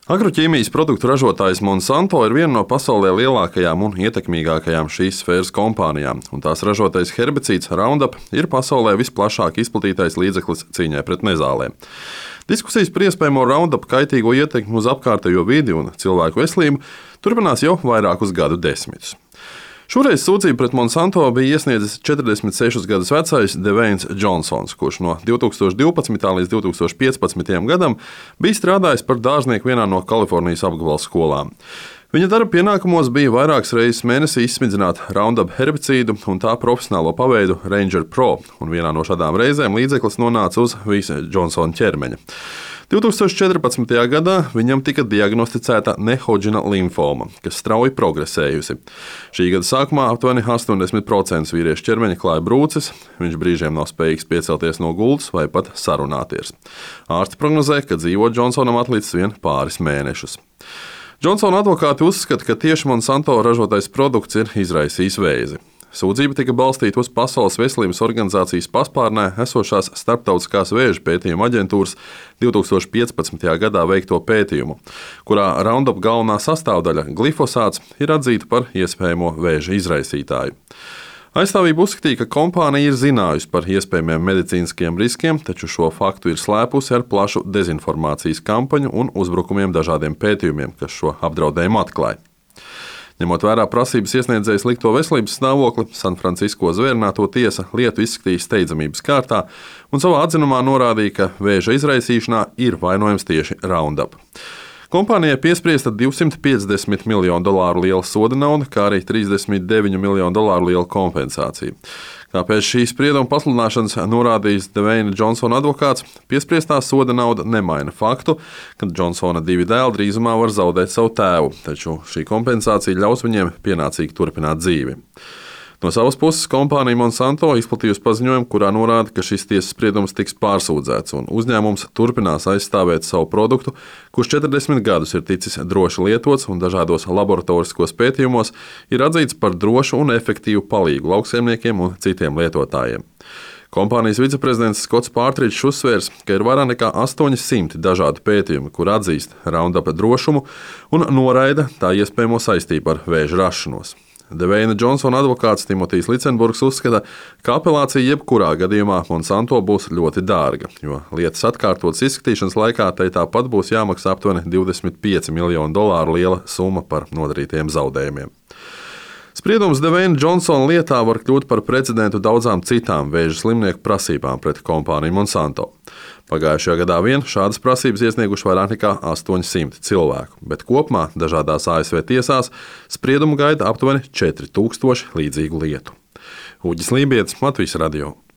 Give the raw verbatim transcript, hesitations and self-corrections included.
Agroķīmijas produktu ražotājs Monsanto ir viena no pasaulē lielākajām un ietekmīgākajām šīs sfēras kompānijām, un tās ražotais herbicīds Roundup ir pasaulē visplašāk izplatītais līdzeklis cīņai pret nezālēm. Diskusijas par iespējamo Roundup kaitīgo ietekmi uz apkārtējo vidi un cilvēku veselību turpinās jau vairākus gadu desmitus. Šoreiz sūdzību pret Monsanto bija iesniedzis četrdesmit sešus gadus vecais Dveins Džonsons, kurš no divi tūkstoši divpadsmitā līdz divi tūkstoši piecpadsmitajam gadam bija strādājis par dārznieku vienā no Kalifornijas apgabala skolām. Viņa darba pienākumos bija vairākas reizes mēnesī izsmidzināt Roundup herbicīdu un tā profesionālo paveidu Ranger Pro, un vienā no šādām reizēm līdzeklis nonāca uz visa Džonsona ķermeņa. divi tūkstoši četrpadsmitajā gadā viņam tika diagnosticēta Nehodžina limfoma, kas strauji progresējusi. Šī gada sākumā aptuveni astoņdesmit procenti vīriešu ķermeņa klāja brūces, viņš brīžiem nav spējīgs piecelties no gultas vai pat sarunāties. Ārsti prognozē, ka dzīvot Džonsonam atlicis vien pāris mēnešus. Džonsona advokāti uzskata, ka tieši Monsanto ražotais produkts ir izraisījis vēzi. Sūdzība tika balstīta uz Pasaules veselības organizācijas paspārnē esošās Starptautiskās vēža pētījuma aģentūras divi tūkstoši piecpadsmitajā gadā veikto pētījumu, kurā Roundup galvenā sastāvdaļa glifosāts ir atzīta par iespējamo vēža izraisītāju. Aizstāvība uzskatīja, ka kompānija ir zinājusi par iespējamiem medicīniskiem riskiem, taču šo faktu ir slēpusi ar plašu dezinformācijas kampaņu un uzbrukumiem dažādiem pētījumiem, kas šo apdraudējumu atklāja. Ņemot vērā prasības iesniedzējas likto veselības stāvokli, Sanfrancisko zvērināto tiesa lietu izskatīja steidzamības kārtā un savā atzinumā norādīja, ka vēža izraisīšanā ir vainojams tieši Roundup. Kompānijai piespriesta divsimt piecdesmit miljonu dolāru liela soda nauda, kā arī trīsdesmit deviņu miljonu dolāru liela kompensācija. Kā pēc šīs sprieduma pasludināšanas norādījis Dveina Džonsona advokāts, piespriestā soda nauda nemaina faktu, ka Džonsona divi dēli drīzumā var zaudēt savu tēvu, taču šī kompensācija ļaus viņiem pienācīgi turpināt dzīvi. No savas puses kompānija Monsanto izplatījusi paziņojumu, kurā norāda, ka šis tiesas spriedums tiks pārsūdzēts un uzņēmums turpinās aizstāvēt savu produktu, kurš četrdesmit gadus ir ticis droši lietots un dažādos laboratoriskos pētījumos ir atzīts par drošu un efektīvu palīgu lauksaimniekiem un citiem lietotājiem. Kompānijas viceprezidents Skots Pārtričs uzsvērs, ka ir vairāk nekā astoņi simti dažādu pētījumu, kur atzīst Roundup drošumu un noraida tā iespējamo saistību ar vēža rašanos. Dveina Džonsona advokāts Timotijs Licenburgs uzskata, ka apelācija jebkurā gadījumā Monsanto būs ļoti dārga, jo lietas atkārtotas izskatīšanas laikā tai tāpat būs jāmaksā aptuveni divdesmit pieci miljonu dolāru liela summa par nodarītiem zaudējumiem. Spriedums Dveina Džonsona lietā var kļūt par precedentu daudzām citām vēža slimnieku prasībām pret kompāniju Monsanto. Pagājušajā gadā vien šādas prasības iesnieguši vairāk nekā astoņi simti cilvēku, bet kopumā dažādās A S V tiesās spriedumu gaida aptuveni četri tūkstoši līdzīgu lietu. Uģis Lībietis, Latvijas radio.